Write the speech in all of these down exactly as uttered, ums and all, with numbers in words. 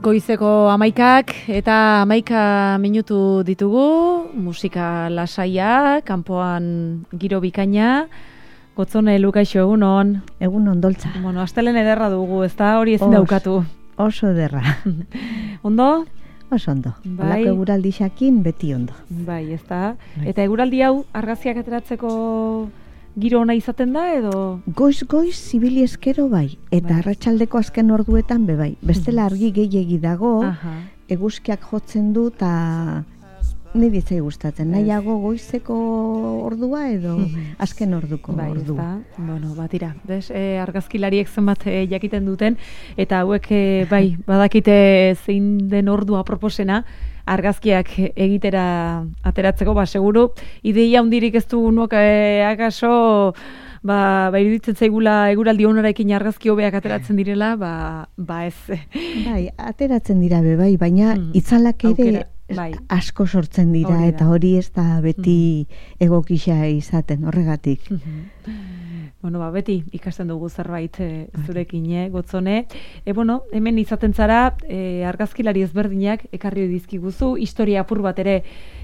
Goizeko amaikak eta amaika minutu ditugu, musika lasaia, kanpoan giro bikaina, Gotzone Lukaixo egunon. Egunon doltza. Bueno, astelen ederra dugu, ez da hori ezin daukatu. Oso ederra. Ondo? Oso ondo. Bai. Olako eguraldi xakin beti ondo. Bai, ez da. Eta eguraldi hau argazkiak ateratzeko giro ona izaten da edo? Goiz-goiz zibili eskero bai, eta Bai. arratsaldeko azken orduetan be bai. Bestela argi gehiegi dago, Aha. eguzkiak jotzen du eta niri zai gustatzen. Nahiago goizeko ordua edo azken orduko Bai, ez ordua. da. Bueno, batira. Des, e, argazkilariek zenbat e, jakiten duten, eta hauek e, bai, badakite zein den ordua proposena, argazkiak egitera ateratzeko, ba, seguru, ideia hundirik ez du nuok e, akaso, ba, ba, iruditzen zaigula eguraldi onarekin argazki hobeak ateratzen direla, ba, ba ez. Bai, ateratzen dira be bai, baina Mm. itzalak ere Aukera, bai. asko sortzen dira, Hori da. eta hori ez da beti egokisa izaten, horregatik. Bueno, ba, beti ikasten dugu zerbait e, zurekin, eh, Gotzone. E, bueno, hemen izaten zara, e, argazkilari ezberdinak ekarri dizkiguzu, historia apur bat ere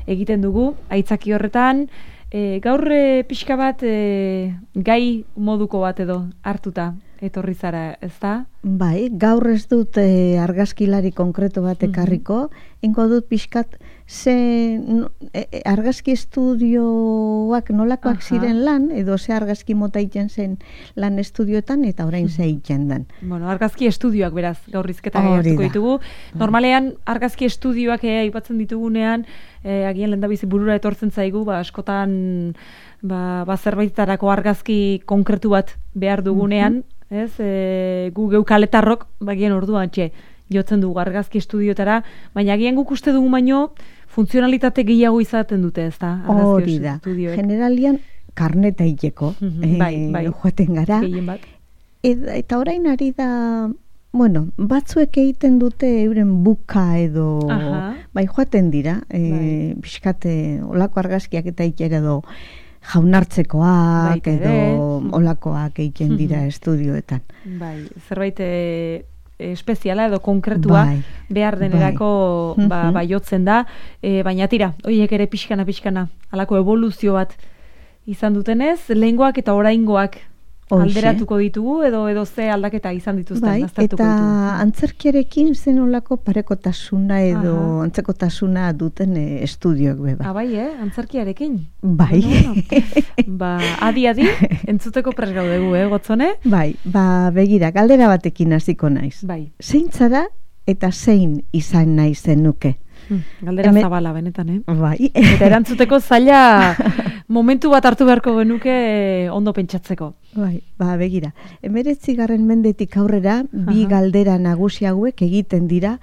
egiten dugu, aitzaki horretan, e, gaur e, pixka bat e, gai moduko bat edo hartuta etorri zara, ez da? Bai, gaur ez dut e, argazkilari konkreto bat ekarriko, ingo dut pixkat ze no, e, e, argazki estudioak nolakoak Aha. ziren lan, edo ze argazki mota egiten zen lan estudioetan, eta orain ze egiten den. Bueno, argazki estudioak beraz, gaur rizketa Hori hartuko da. ditugu. Normalean, argazki estudioak eh, aipatzen ditugunean, eh, agian lehendabizi burura etortzen zaigu, ba, askotan ba, ba zerbaitetarako argazki konkretu bat behar dugunean, ez? E, gu geukaletarrok, bagien orduan txe, jotzen dugu argazki estudiotara, baina agian guk uste dugu baino, funtzionalitate gehiago izaten dute, ez da? Argazki Hori da, estudioek. generalian karneta hileko, Mhm, bai, bai. joaten gara. Gehien bat. Eta, eta orain ari da, bueno, batzuek egiten dute euren buka edo, Aha. bai joaten dira, e, Bai. pixkate olako argazkiak eta ikera edo jaunartzekoak Baita ere. edo olakoak egiten dira estudioetan. Bai, zerbait e, espeziala edo konkretua Bai, behar denerako bai. ba, Mhm. baiotzen da, e, baina tira, horiek ere pixkana pixkana, halako evoluzio bat izan dutenez, lehengoak eta oraingoak Hoxe. alderatuko ditugu edo edo ze aldaketa izan dituzten, Bai, aztertuko eta ditugu. antzerkiarekin zen olako parekotasuna edo Aha. antzekotasuna duten e, estudioak beba. Ah, bai, eh? Antzerkiarekin. Bai. Bueno, bueno. Ba, adi-adi, entzuteko pres gaudegu, eh, Gotzone? Bai, ba, begira, galdera batekin hasiko naiz. Bai. Zein zara eta zein izan nahi zenuke? Hmm, Galdera Hemen- zabala, benetan, eh? Bai. Eta erantzuteko zaila momentu bat hartu beharko genuke ondo pentsatzeko. Bai, ba, begira. Emeretzigarren mendetik aurrera, bi Aha. galdera nagusi hauek egiten dira,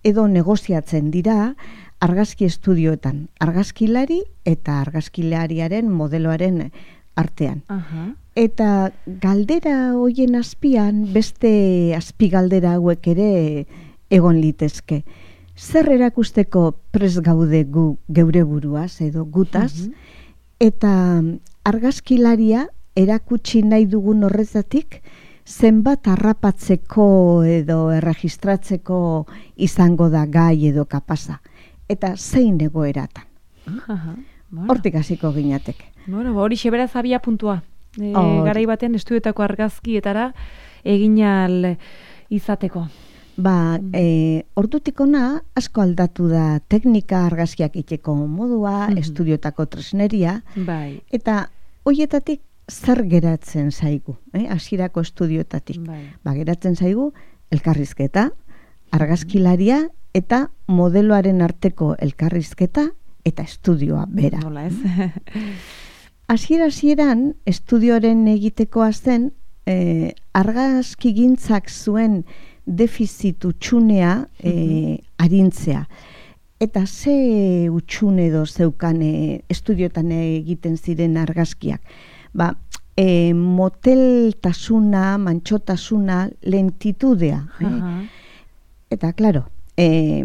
edo negoziatzen dira, argazki estudioetan. Argazkilari eta argazkilariaren modeloaren artean. Aha. Eta galdera hoien azpian, beste azpigaldera hauek ere egon litezke. Zer erakusteko pres gaude gu geure buruaz edo gutaz, Mhm. eta argazkilaria erakutsi nahi dugun horretatik zenbat harrapatzeko edo erregistratzeko izango da gai edo kapasa. Eta zein egoeratan. Aha. Bueno, Hortik hasiko ginateke. bueno, ba, hori xeberaz abia puntua. E, Hori. garai batean estudiotako argazkietara eginal izateko. Ba, e, ordutik ona asko aldatu da teknika argazkiak iteko modua, Mhm. estudiotako tresneria, Bai. eta hoietatik zer geratzen zaigu, eh? Hasierako estudiotatik. Bai. Ba, geratzen zaigu elkarrizketa, argazkilaria eta modeloaren arteko elkarrizketa eta estudioa bera. Nola ez? Hasiera hasieran estudioaren egitekoa zen eh, argazkigintzak zuen defizit utxunea eh, arintzea. Eta ze utxune edo zeukan eh, estudiotan egiten ziren argazkiak. Ba, eh, moteltasuna, mantxotasuna, lentitudea. Eh? Aha. Eta, klaro, eh,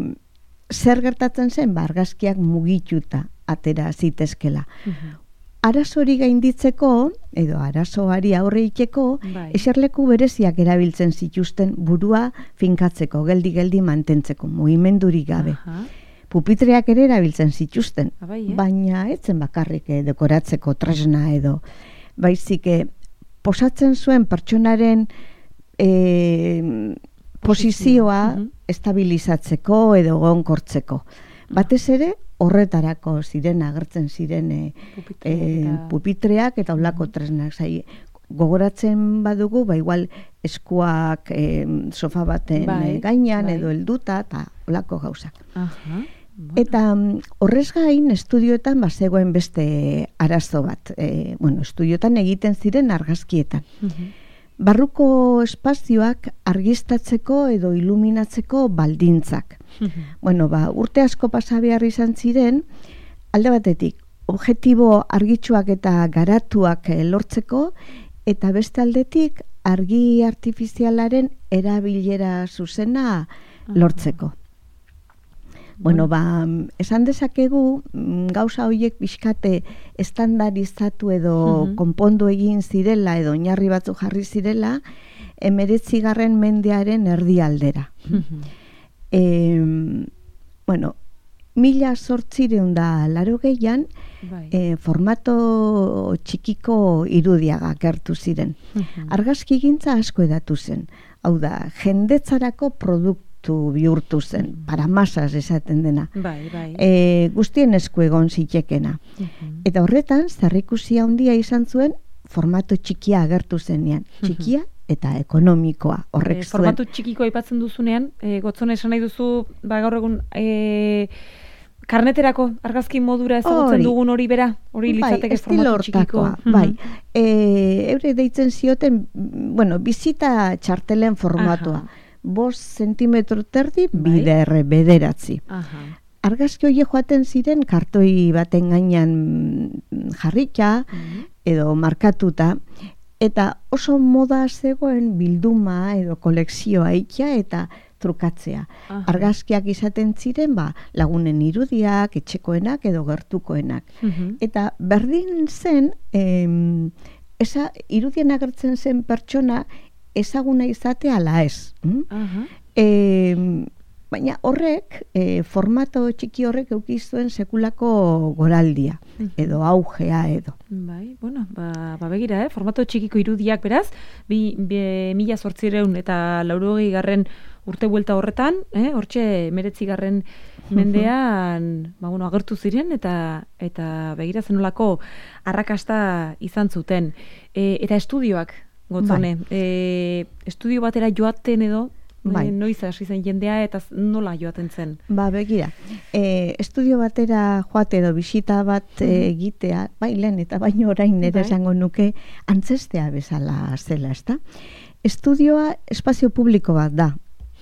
zer gertatzen zen, ba, argazkiak mugituta atera zitezkela. Mhm. Arazori gainditzeko, edo arazoari aurre iteko, Bai. eserleku bereziak erabiltzen zituzten burua finkatzeko, geldi-geldi mantentzeko, mugimendurik gabe. Aha. Pupitreak ere erabiltzen zituzten, Abai, eh? baina etzen bakarrik eh, dekoratzeko tresna edo. Baizik, eh, posatzen zuen pertsonaren eh, posizioa Mhm. estabilizatzeko edo gonkortzeko. Batez ere, horretarako ziren, agertzen ziren eh, Pupitreak eh, eta- pupitreak eta olako tresnak. Zai, gogoratzen badugu, ba igual eskuak eh, sofa baten Bai, eh, gainean bai. edo helduta eta olako gauzak. Aha. Bueno. Eta mm, horrez gain, estudioetan bazegoen beste arazo bat. E, bueno, estudioetan egiten ziren argazkietan. Mhm. Barruko espazioak argiztatzeko edo iluminatzeko baldintzak. Mhm. Bueno, ba, urte asko pasa behar izan ziren, alde batetik, objektibo argitsuak eta garatuak eh, lortzeko, eta beste aldetik, argi artifizialaren erabilera zuzena lortzeko. Bueno, ba, esan dezakegu, mm, gauza horiek bizkate estandarizatu edo Mhm. konpondu egin zirela edo oinarri batzu jarri zirela, emeretzigarren mendearen erdialdera. Mhm. E, bueno, mila zortzireun da laro gehian, Bai. e, formato txikiko irudiaga gertu ziren. Mhm. Argazki gintza asko edatu zen. Hau da, jendetzarako produktu bihurtu zen, para masas esaten dena. Bai, bai. E, guztien esku egon zitekena. Mhm. Eta horretan, zerrikusia handia izan zuen, formato txikia agertu zenean. Txikia eta ekonomikoa. Horrek E, zuen. formatu txikiko aipatzen duzunean, e, gotzone esan nahi duzu, ba, gaur egun e, karneterako argazki modura ezagutzen Hori. dugun hori bera, hori litzateke estilo formatu txikiko. hortakoa, bai. E, eure deitzen zioten, mm, bueno, bizita txartelen formatua. Aha. Bost zentimetro terdi, Bai. bider bederatzi. Aha. Argazki horiek joaten ziren kartoi baten gainean mm, jarrita Mhm. edo markatuta, eta oso moda zegoen bilduma edo kolekzioa ikia eta trukatzea. Aha. Argazkiak izaten ziren, ba, lagunen irudiak, etxekoenak edo gertukoenak. Mhm. Eta berdin zen, em, esa irudien agertzen zen pertsona ezaguna izatea ala ez. Mm? Aha. Em, baina horrek, e, formato txiki horrek eukizuen sekulako goraldia, Mhm. edo augea edo. Bai, bueno, ba, ba begira, eh? Formato txikiko irudiak beraz, bi, bi mila zortzireun eta laurogei garren urte buelta horretan, eh? Hortxe meretzi garren mendean, ba, bueno, agertu ziren eta eta begira zenolako arrakasta izan zuten. E, eta estudioak, gotzone, e, estudio batera joaten edo, Bai. e, noiz hasi zen jendea eta z- nola joaten zen? Ba, begira, e, estudio batera joate edo bisita bat e, egitea, bai lehen eta baino orain ere Bai. esango nuke antzestea bezala zela, ezta? Estudioa espazio publiko bat da,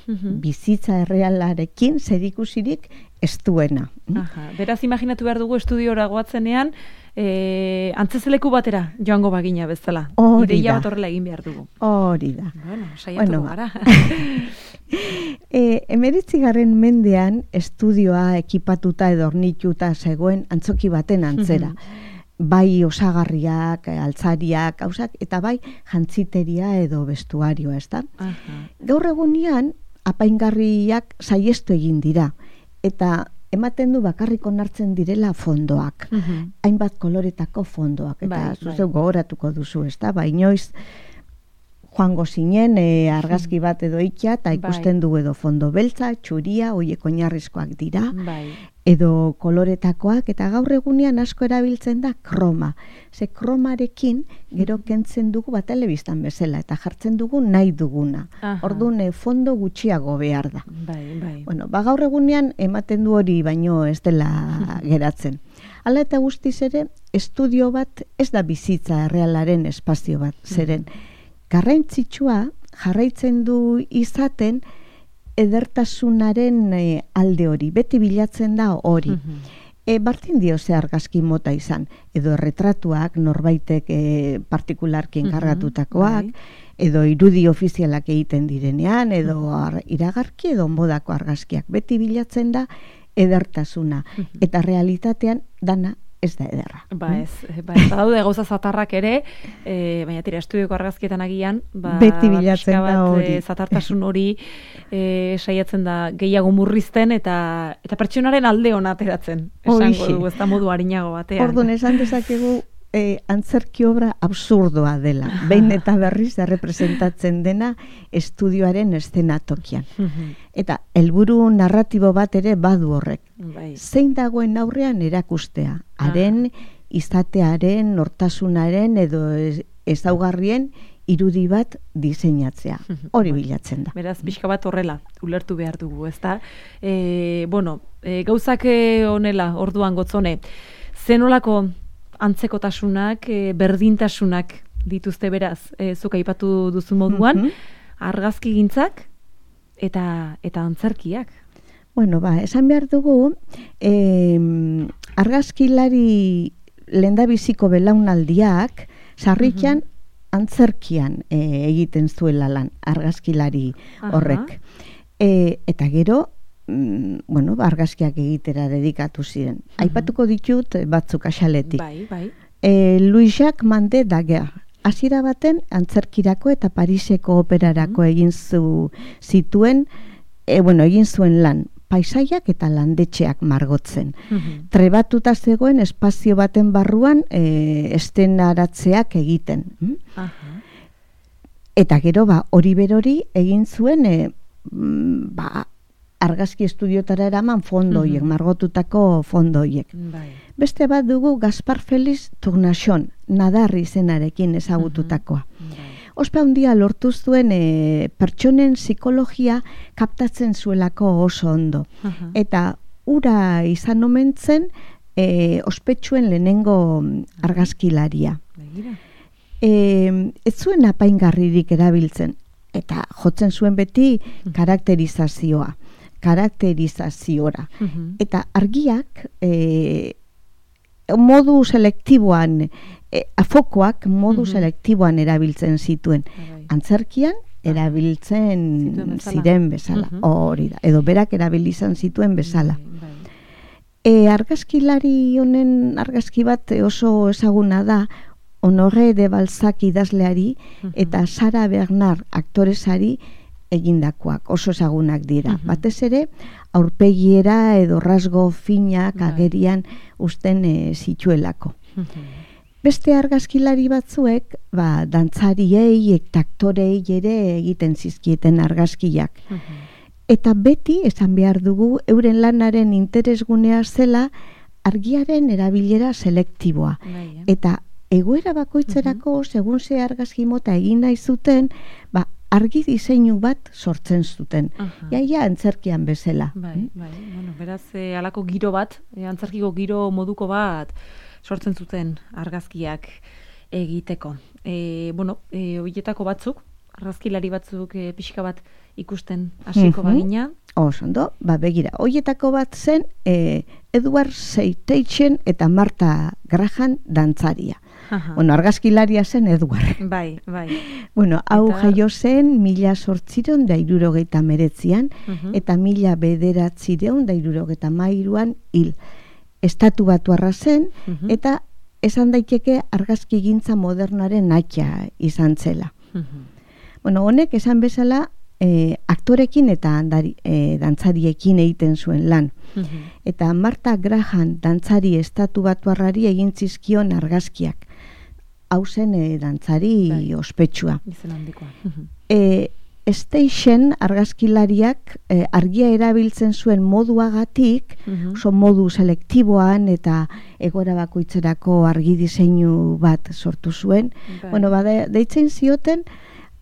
Mhm. bizitza errealarekin zerikusirik ez duena. Aha, beraz imaginatu behar dugu estudiora goatzenean, e, antzezeleku batera joango bagina bezala. Hori Ideia da. bat horrela egin behar dugu. Hori da. Bueno, saiatuko Bueno, ba. gara. E, emeretzigarren mendean estudioa ekipatuta edo ornituta zegoen antzoki baten antzera. Bai osagarriak, altzariak, gauzak, eta bai jantziteria edo vestuarioa, ezta? Aha. Gaur egunean apaingarriak saiestu egin dira, eta ematen du bakarrik onartzen direla fondoak. Mhm. Hainbat koloretako fondoak, eta Bai, zuzeu bai. gogoratuko duzu, ezta? Ba, inoiz joango zinen e, argazki bat edo ikia, eta Bai. ikusten du edo fondo beltza, txuria, hoiek oinarrizkoak dira, Bai. edo koloretakoak, eta gaur egunean asko erabiltzen da kroma. Ze kromarekin gero kentzen dugu bat telebistan bezala, eta jartzen dugu nahi duguna. Aha. Orduan e, fondo gutxiago behar da. Bai, bai. Bueno, ba gaur egunean ematen du hori baino ez dela geratzen. Hala eta guztiz ere, estudio bat ez da bizitza errealaren espazio bat, zeren garrantzitsua jarraitzen du izaten edertasunaren e, alde hori, beti bilatzen da hori. Mhm. E, Bartin dio ze argazki mota izan, edo erretratuak norbaitek e, partikularki Mhm, enkargatutakoak, bai. edo irudi ofizialak egiten direnean, edo ar, iragarki edo onbodako argazkiak. Beti bilatzen da edertasuna. Mhm. Eta realitatean dana ez da ederra. Ba ez, ba ez daude gauza zatarrak ere, e, baina tira, estudioko argazkietan agian, ba, beti bilatzen pixka da bat, hori. e, zatartasun hori e, saiatzen da gehiago murrizten eta eta pertsonaren alde ona ateratzen, esango Horixe. dugu, ez da modu arinago batean. Orduan esan dezakegu e, antzerki obra absurdoa dela. Behin eta berriz errepresentatzen dena estudioaren eszenatokian. Eta helburu narratibo bat ere badu horrek. Bai. Zein dagoen aurrean erakustea. Haren, izatearen, nortasunaren edo ez- ezaugarrien irudi bat diseinatzea. Hori bilatzen da. Beraz, pixka bat horrela, ulertu behar dugu, ezta? E, bueno, e, gauzak e, honela, orduan gotzone, zenolako antzekotasunak, e, berdintasunak dituzte beraz, e, zuk aipatu duzu moduan, Mhm. argazkigintzak eta eta antzerkiak. Bueno, ba, esan behar dugu, eh, argazkilari lehendabiziko belaunaldiak, sarritan antzerkian eh, egiten zuela lan, argazkilari horrek. E, eta gero, mm, bueno, ba, argazkiak egitera dedikatu ziren. Aipatuko ditut eh, batzuk axaletik. Bai, bai. E, Louis-Jacques Mandé Daguerre. Hasiera baten antzerkirako eta Pariseko operarako egin zu zituen, e, bueno, egin zuen lan, paisaiak eta landetxeak margotzen. Trebatuta zegoen espazio baten barruan e, estenaratzeak egiten. Mm? Aha. Eta gero, ba, hori berori egin zuen, e, mm, ba, argazki estudiotara eraman fondoiek, margotutako fondoiek. Bai. Beste bat dugu Gaspar Félix Tournachon, nadarri izenarekin ezagututakoa. Bai. Ospe handia lortu zuen e, pertsonen psikologia kaptatzen zuelako oso ondo. Aha. Eta ura izan omen zen e, ospetsuen lehenengo argazkilaria. Begira. E, ez zuen apaingarririk erabiltzen, eta jotzen zuen beti karakterizazioa, karakterizaziora. Mhm. Eta argiak e, modu selektiboan, e, afokoak modu Mhm. selektiboan erabiltzen zituen. Bai. Antzerkian erabiltzen Zituen bezala. ziren bezala, Mhm. hori da, edo berak erabilizan zituen bezala. Bai, bai. E, argazkilari honen argazki bat oso ezaguna da, Honoré de Balzac idazleari eta Sara Bernard aktoresari egindakoak, oso ezagunak dira. Mhm. Batez ere, aurpegiera edo rasgo finak Bai. agerian usten e, zituelako. Mhm. Beste argazkilari batzuek, ba, dantzariei eta aktorei ere egiten zizkieten argazkiak. Mhm. Eta beti, esan behar dugu, euren lanaren interesgunea zela argiaren erabilera selektiboa. Bai, eh? Eta egoera bakoitzerako, segun ze argazki mota egin nahi zuten, ba, argi diseinu bat sortzen zuten. Aha. Jaia antzerkian bezala. Bai, bai. Bueno, beraz, e, alako giro bat, e, antzerkiko giro moduko bat sortzen zuten argazkiak egiteko. E, bueno, e, horietako batzuk, argazkilari batzuk e, pixka bat ikusten hasiko Mhm. bagina. Oso ondo, ba, begira, hoietako bat zen e, Edward Seiteichen eta Marta Graham dantzaria. Aha. Bueno, argazkilaria zen Edward. Bai, bai. Bueno, hau Eta- jaio zen mila sortzireun da hirurogeita meretzian, Mhm. eta mila bederatzireun da hirurogeita mairuan hil. Estatu batuarra zen, Mhm. eta esan daiteke argazki gintza modernaren atxa izan zela. Mhm. Bueno, honek esan bezala e, aktorekin eta andari, e, dantzariekin egiten zuen lan. Mhm. Eta Marta Graham dantzari estatu batuarrari egin zizkion argazkiak. Hau zen e, dantzari Bai. ospetsua. Izen handikoa. Mhm. E, Station argazkilariak e, argia erabiltzen zuen moduagatik, Mhm. oso modu selektiboan eta egora bakoitzerako argi diseinu bat sortu zuen. Bai. Bueno, bada, deitzen zioten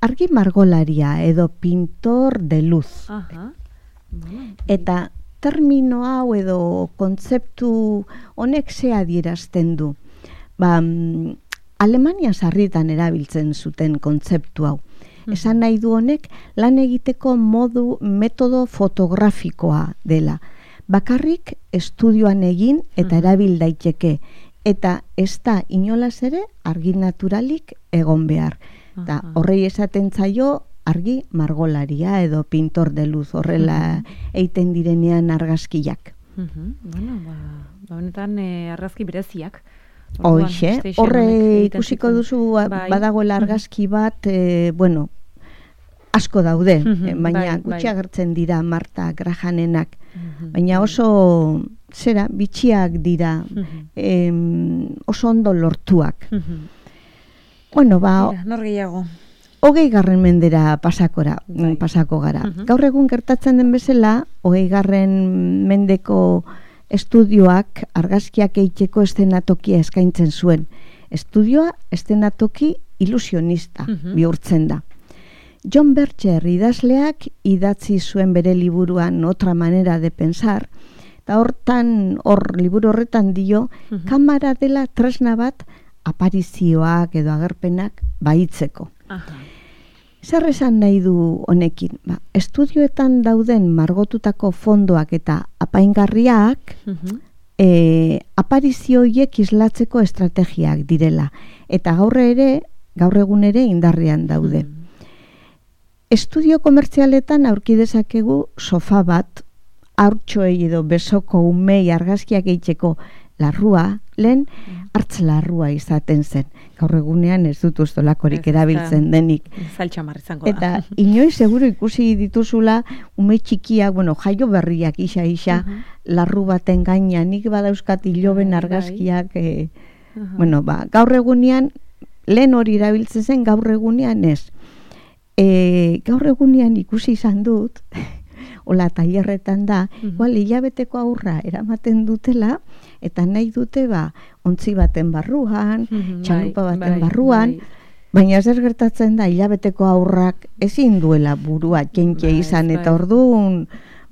argi margolaria edo pintor de luz. Aha. Bueno, Eta termino hau edo kontzeptu honek ze adierazten du. Ba, mm, Alemania sarritan erabiltzen zuten kontzeptu hau. Esan nahi du honek lan egiteko modu metodo fotografikoa dela. Bakarrik estudioan egin eta erabil daiteke. Eta ez da inolaz ere argi naturalik egon behar. Eta Aha. horrei esaten zaio argi margolaria edo pintor de luz horrela eiten direnean argazkiak. Mhm. Bueno, ba, Honetan e, argazki bereziak. Hoixe, horre ikusiko duzu bai. Badagoela argazki bat, e, bueno, asko daude, mm-hmm, baina bai, gutxi agertzen bai. Dira Marta Grahanenak, mm-hmm, baina oso zera, bitxiak dira, mm-hmm. em, oso ondo lortuak. Mm-hmm. Bueno, ba... Mira, nor gehiago. Hogei garren mendera pasakora, bai. pasako gara. Mm-hmm. Gaur egun gertatzen den bezala, hogei garren mendeko estudioak argazkiak eitzeko eszenatokia eskaintzen zuen. Estudioa eszenatoki ilusionista mm-hmm. bihurtzen da. John Berger idazleak idatzi zuen bere liburuan Otra manera de pensar, eta hortan, hor liburu horretan dio, mm-hmm. kamera dela tresna bat aparizioak edo agerpenak baitzeko. Aha. Zer esan nahi du honekin? Ba, estudioetan dauden margotutako fondoak eta apaingarriak mm-hmm. e, aparizioiek islatzeko estrategiak direla. Eta gaur ere, gaur egun ere indarrean daude. Mm-hmm. Estudio komertzialetan aurki dezakegu sofa bat, haurtxoei edo besoko umei argazkiak eitzeko larrua, lehen hartz larrua izaten zen. Gaur egunean ez dut ustolakorik erabiltzen denik. Zaltxamar izango da. Eta inoiz seguro ikusi dituzula ume txikiak, bueno, jaio berriak isa-isa, uh-huh. larru baten gainean, nik badauzkat iloben argazkiak, eh, uh-huh. bueno, ba, gaur egunean, lehen hori erabiltzen zen, gaur egunean ez. E, gaur egunean ikusi izan dut, hola tailerretan da, mm-hmm. igual hilabeteko aurra eramaten dutela, eta nahi dute ba, ontzi baten barruan, mm-hmm, txalupa bai, baten bai, barruan, bai. Baina zer gertatzen da, hilabeteko aurrak ezin duela burua jenke bai, izan, bai. Eta orduan,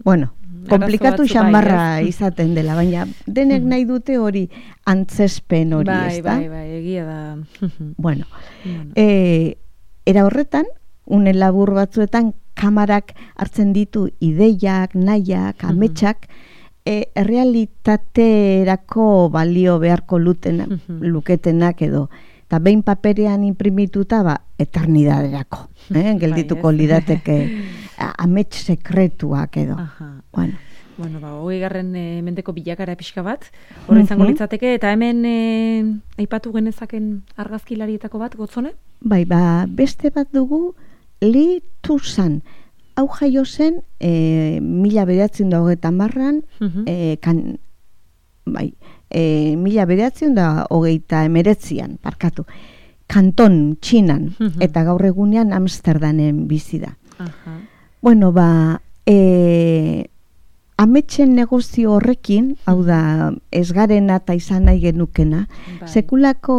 bueno, komplikatu xambarra bai, izaten dela, baina denek nahi dute hori antzespen hori, bai, ez da? Bai, bai, egia da. bueno, bueno. E, era horretan, une labur batzuetan kamarak hartzen ditu ideiak, nahiak, ametsak, e, errealitaterako balio beharko luten, luketenak edo. Eta behin paperean imprimituta, ba, eternidaderako. Eh? Geldituko lirateke amets sekretuak edo. Aha. Bueno. Bueno, ba, hogei garren e, mendeko bilakara pixka bat, hori izango litzateke, eta hemen e, aipatu genezaken argazkilarietako bat, Gotzone? Bai, ba, beste bat dugu, Li Tuzan, hau jaio zen e, mila bederatziehun da hogeita hamarran, uh-huh. e, kan, bai, e, mila bederatziehun da hogeita hemeretzian, parkatu, Kanton, Txinan, uh-huh. eta gaur egunean Amsterdamen bizi da. Uh-huh. Bueno, ba, e, ametsen negozio horrekin, hau da, ez garena eta izan nahi genukena, bai. Sekulako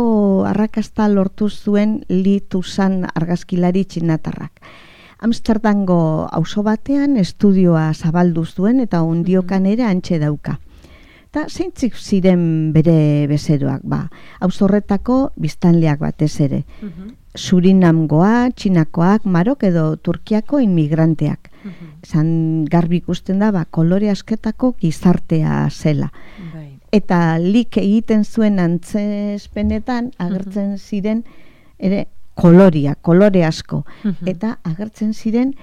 arrakasta lortu zuen Li Tuzan argazkilari txinatarrak. Amsterdango auzo batean estudioa zabaldu zuen eta ondiokan ere antxe dauka. Eta zeintzik ziren bere bezeroak, ba, auzo horretako biztanleak batez ere. Uh-huh. Surinamgoa, Txinakoak, Marok edo Turkiako inmigranteak. Uh-huh. Esan garbi ikusten da, ba, kolore asketako gizartea zela. Bai. Eta lik egiten zuen antzespenetan agertzen uh-huh. ziren ere koloria, kolore asko. Uh-huh. Eta agertzen ziren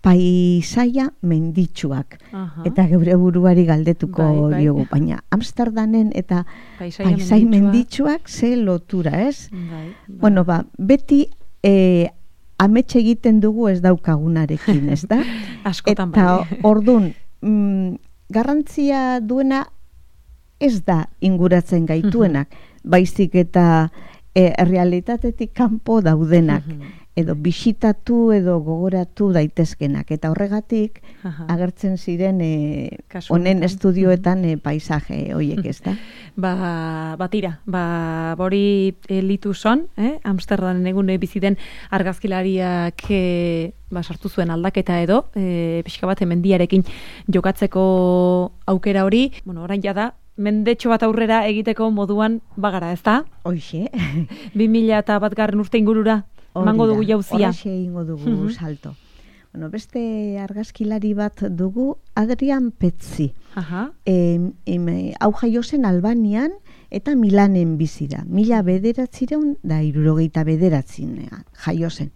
paisaia menditsuak. Uh-huh. Eta geure buruari galdetuko bai, bai. diogu. Baina Amsterdamen eta paisai menditsuak. menditsuak ze lotura, ez? Bai, bai. Bueno, ba, beti e, ametxe egiten dugu ez daukagunarekin, ez da? Askotan eta bai. Ordun, mm, garrantzia duena ez da inguratzen gaituenak, uh-huh. baizik eta e, errealitatetik kanpo daudenak. Uh-huh. Edo bisitatu edo gogoratu daitezkenak. Eta horregatik Aha. agertzen ziren e, honen estudioetan e, paisaje horiek, ez da? ba, batira, ba, bori e, Li Tuzan, eh? Amsterdamen egun biziten argazkilariak e, ba, sartu zuen aldaketa edo, e, pixka bat mendiarekin jokatzeko aukera hori, bueno, orain jada, mendetxo bat aurrera egiteko moduan bagara, ez da? Hoixe. bi mila eta bat garren urte ingurura. Mango dugu jauzia. Horaxe ingo dugu uh-huh. salto. Bueno, beste argazkilari bat dugu, Adrian Petzi. Uh-huh. E, e, hau jaio zen Albanian eta Milanen bizi da. Mila bederatzireun da hirurogeita bederatzinean jaio zen.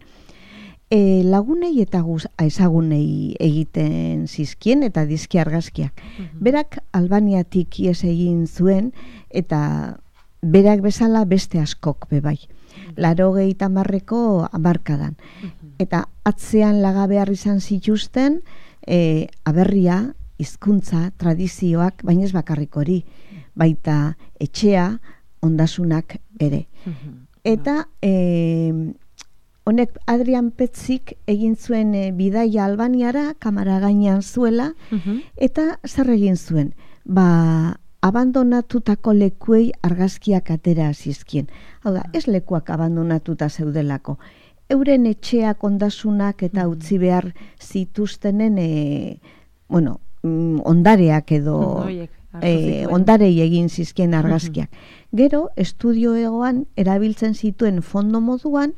E, lagunei eta guz, ezagunei egiten zizkien eta dizki argazkiak. Mhm. Berak Albaniatik ies egin zuen eta berak bezala beste askok bebai. Larogei tamarreko amarkadan. Eta atzean laga behar izan zituzten e, aberria, hizkuntza, tradizioak, baina ez bakarrik hori, baita etxea, ondasunak ere. Eta e, honek Adrian Petzik egin zuen e, bidaia Albaniara, kamara gainean zuela, eta zer egin zuen? Ba, abandonatutako lekuei argazkiak atera zizkien. Hau da, ez lekuak abandonatuta zeudelako. Euren etxeak, ondasunak eta utzi behar zituztenen e, bueno, ondareak edo e, ondarei egin zizkien argazkiak. Gero, estudio egoan erabiltzen zituen fondo moduan,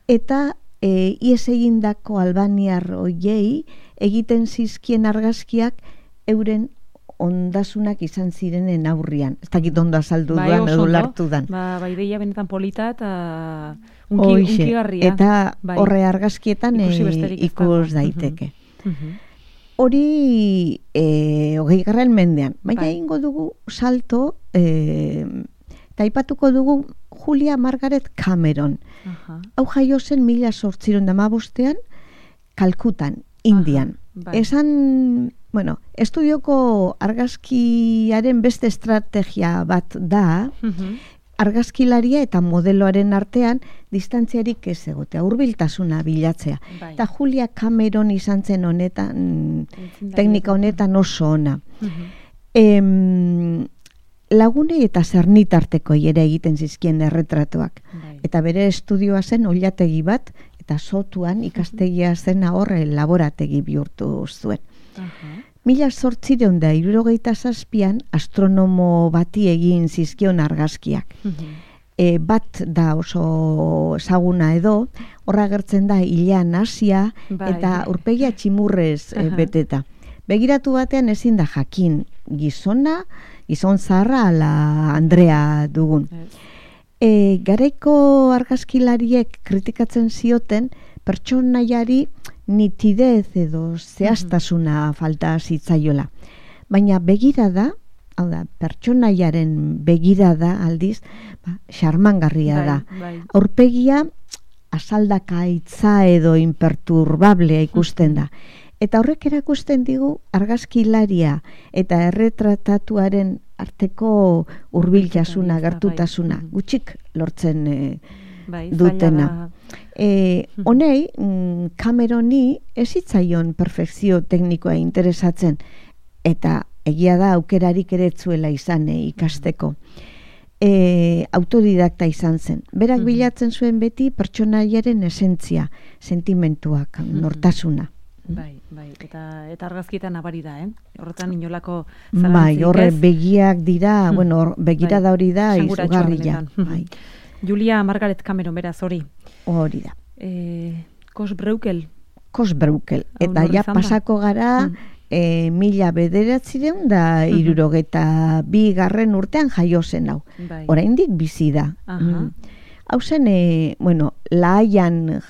eta e, ies egindako albaniar hoiei egiten zizkien argazkiak euren ondasunak izan zirenen aurrian. Ez dakit ondo azaldu bai, duan edo lartu dan. Ba, bai, deia benetan polita eta unki, unkigarria. Eta bai. Horre argazkietan e, ikus daiteke. Hori e, hogei garren mendean. Baina bai. Ingo dugu salto e, eta aipatuko dugu Julia Margaret Cameron. Uh-huh. Hau jaio zen mila zortziron damabostean Kalkutan, Indian. Uh-huh. Bai. Esan, bueno, estudioko argazkiaren beste estrategia bat da, uh-huh. argazkilaria eta modeloaren artean distantziarik ez egotea, hurbiltasuna bilatzea. Bai. Eta Julia Cameron izan zen honetan, teknika honetan oso ona. Uh-huh. Em, lagunei eta zernitarteko ere egiten zizkien erretratuak. Bai. Eta bere estudioa zen oilategi bat, eta sotuan ikastegia zen horre laborategi bihurtu zuen. Uh-huh. Mila zortzireun da hirurogeita zazpian astronomo bati egin zizkion argazkiak. Uh-huh. E, bat da oso ezaguna edo, horra gertzen da hilean Asia bai. Eta urpegia tximurrez uh-huh. e, beteta. Begiratu batean ezin da jakin gizona, gizon zaharra ala Andrea dugun. E, garaiko argazkilariek kritikatzen zioten pertsonaiari nitidez edo zehaztasuna mm-hmm. falta zitzaiola. Baina begirada, hau da, pertsonaiaren begirada aldiz, ba, xarmangarria bai, da. Bai. Aurpegia azaldaka hitza edo imperturbablea ikusten da. Eta horrek erakusten digu argazkilaria eta erretratatuaren arteko hurbiltasuna, gertutasuna, bai. Gutxik lortzen e, bai, dutena. E, honei, Cameroni ez hitzaion perfekzio teknikoa interesatzen, eta egia da aukerarik ere zuela izan e, ikasteko. E, autodidakta izan zen. Berak mm-hmm. bilatzen zuen beti pertsonaiaren esentzia, sentimentuak, mm-hmm. nortasuna. Bai, bai, eta eta argazkietan nabari da, eh? Horretan inolako zalantzik ez. Bai, horre begiak dira, hmm. bueno, begirada hori da izugarria. Bai. Julia Margaret Cameron, beraz, hori. Hori da. Eh, Kosbreukel. Kosbreukel. Eta ja pasako gara hmm. e, mila bederatzireun da hmm. irurogeta bi garren urtean jaio zen hau. Bai. Oraindik bizi da. Hmm. Hau zen, e, bueno, Lahaian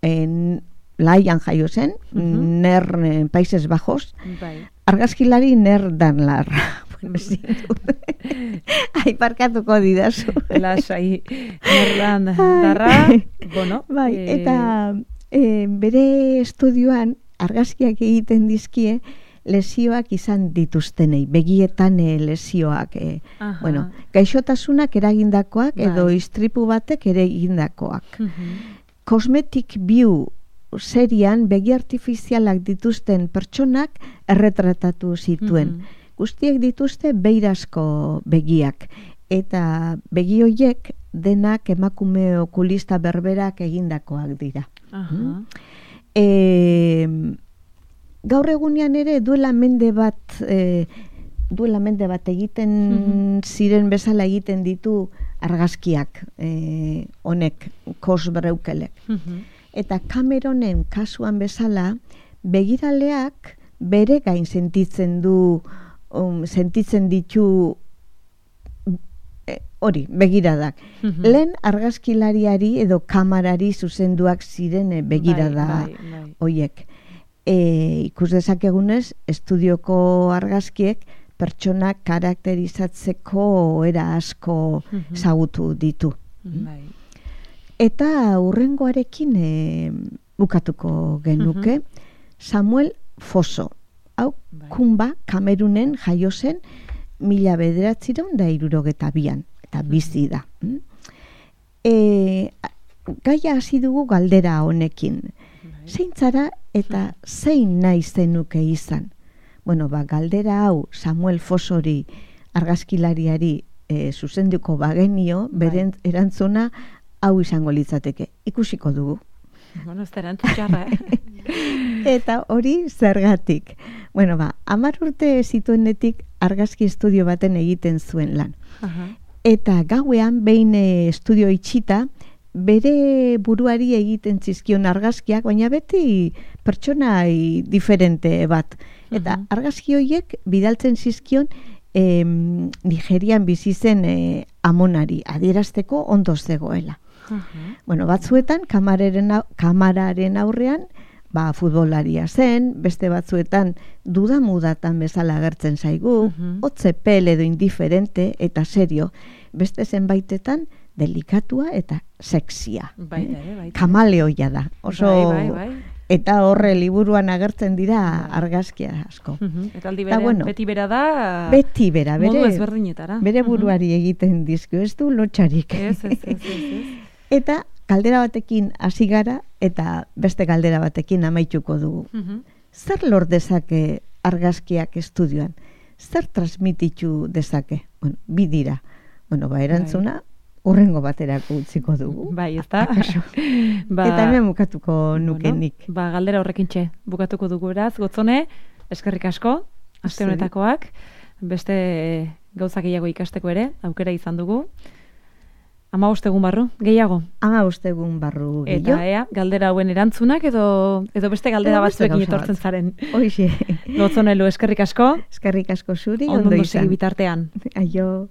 en Lahaian jaio zen, uh-huh. ner eh, Países Bajos, bai. Argazkilari ner danlar. Bueno, ai, parkatuko didazu. Lasai, ner dandarra, bueno. Bai, eh... eta eh, bere estudioan argazkiak egiten dizkie lesioak izan dituztenei, begietan eh, lesioak, eh, bueno, gaixotasunak eragindakoak bai. Edo istripu batek ere egindakoak. Uh-huh. Cosmetic View serian begi artifizialak dituzten pertsonak erretratatu zituen. Mm-hmm. Guztiek dituzte beirazko begiak. Eta begi horiek denak emakume okulista berberak egindakoak dira. Uh-huh. E, gaur egunean ere duela mende bat e, duela mende bat egiten mm-hmm. ziren bezala egiten ditu argazkiak e, honek Kosbreukelek. Mm-hmm. Eta Cameronen kasuan bezala, begiraleak bere gain sentitzen du, um, sentitzen ditu e, hori, begiradak. Mhm. Lehen argazkilariari edo kamarari zuzenduak ziren eh, begirada Bai, bai, bai. hoiek. E, ikus dezakegunez, estudioko argazkiek pertsonak karakterizatzeko era asko Mhm. zagutu ditu. Bai. Eta hurrengoarekin e, bukatuko genuke, Samuel Foso. Hau, Bai. Kumba, Kamerunen jaio zen mila bederatziehun da hirurogeta bian, eta bizi da. Mm? E, gaia hasi dugu galdera honekin. Zein zara eta zein nahi zenuke izan? Bueno, ba, galdera hau Samuel Fosori argazkilariari e, zuzenduko bagenio, beren erantzuna hau izango litzateke. Ikusiko dugu. Bueno, ez da erantzun txarra, eh? Eta hori zergatik. Bueno, ba, hamar urte zituenetik argazki estudio baten egiten zuen lan. Aha. Eta gauean behin e, estudio itxita, bere buruari egiten zizkion argazkiak, baina beti pertsonai diferente bat. Eta Mhm. argazki horiek bidaltzen zizkion em, Nigerian bizi zen e, amonari, adierazteko ondo zegoela. Aha. Bueno, batzuetan kamararen, au- kamararen aurrean, ba, futbolaria zen, beste batzuetan dudamudatan bezala agertzen zaigu, Mhm. hotzepel edo indiferente eta serio, beste zenbaitetan delikatua eta sexia. Baita eh? ere, baita. Kamaleoia da. Oso Bai, bai, bai. Eta horre liburuan agertzen dira argazkia asko. Mhm. Eta aldi Eta berean, bueno, beti bera da, Beti bera, modu bere, ezberdinetara. bere Mhm. buruari egiten dizku, ez du lotxarik. Ez, ez, ez, ez, ez. Eta galdera batekin hasi gara eta beste galdera batekin amaituko dugu. Mhm. Zer lor dezake argazkiak estudioan? Zer transmititu dezake? Bueno, bi dira. Bueno, ba, erantzuna urrengo baterako utziko dugu. Bai, ez da? Akaso. Ba, Eta hemen bukatuko nuke bueno, nik. Ba, galdera horrekin txe, bukatuko dugu eraz, gotzone, eskerrik asko, aste Zuri. honetakoak, beste gauzak gehiago ikasteko ere, aukera izan dugu. Hamabost egun barru, gehiago. Ama ustegun barru Eta gehiago. ea, galdera hauen erantzunak edo edo beste galdera Edo beste batzuekin gauza etortzen bat. zaren. Hoxe. Gotzonelu, eskerrik asko, Eskerrik asko zuri, ondo ondo segi izan. bitartean. Aio.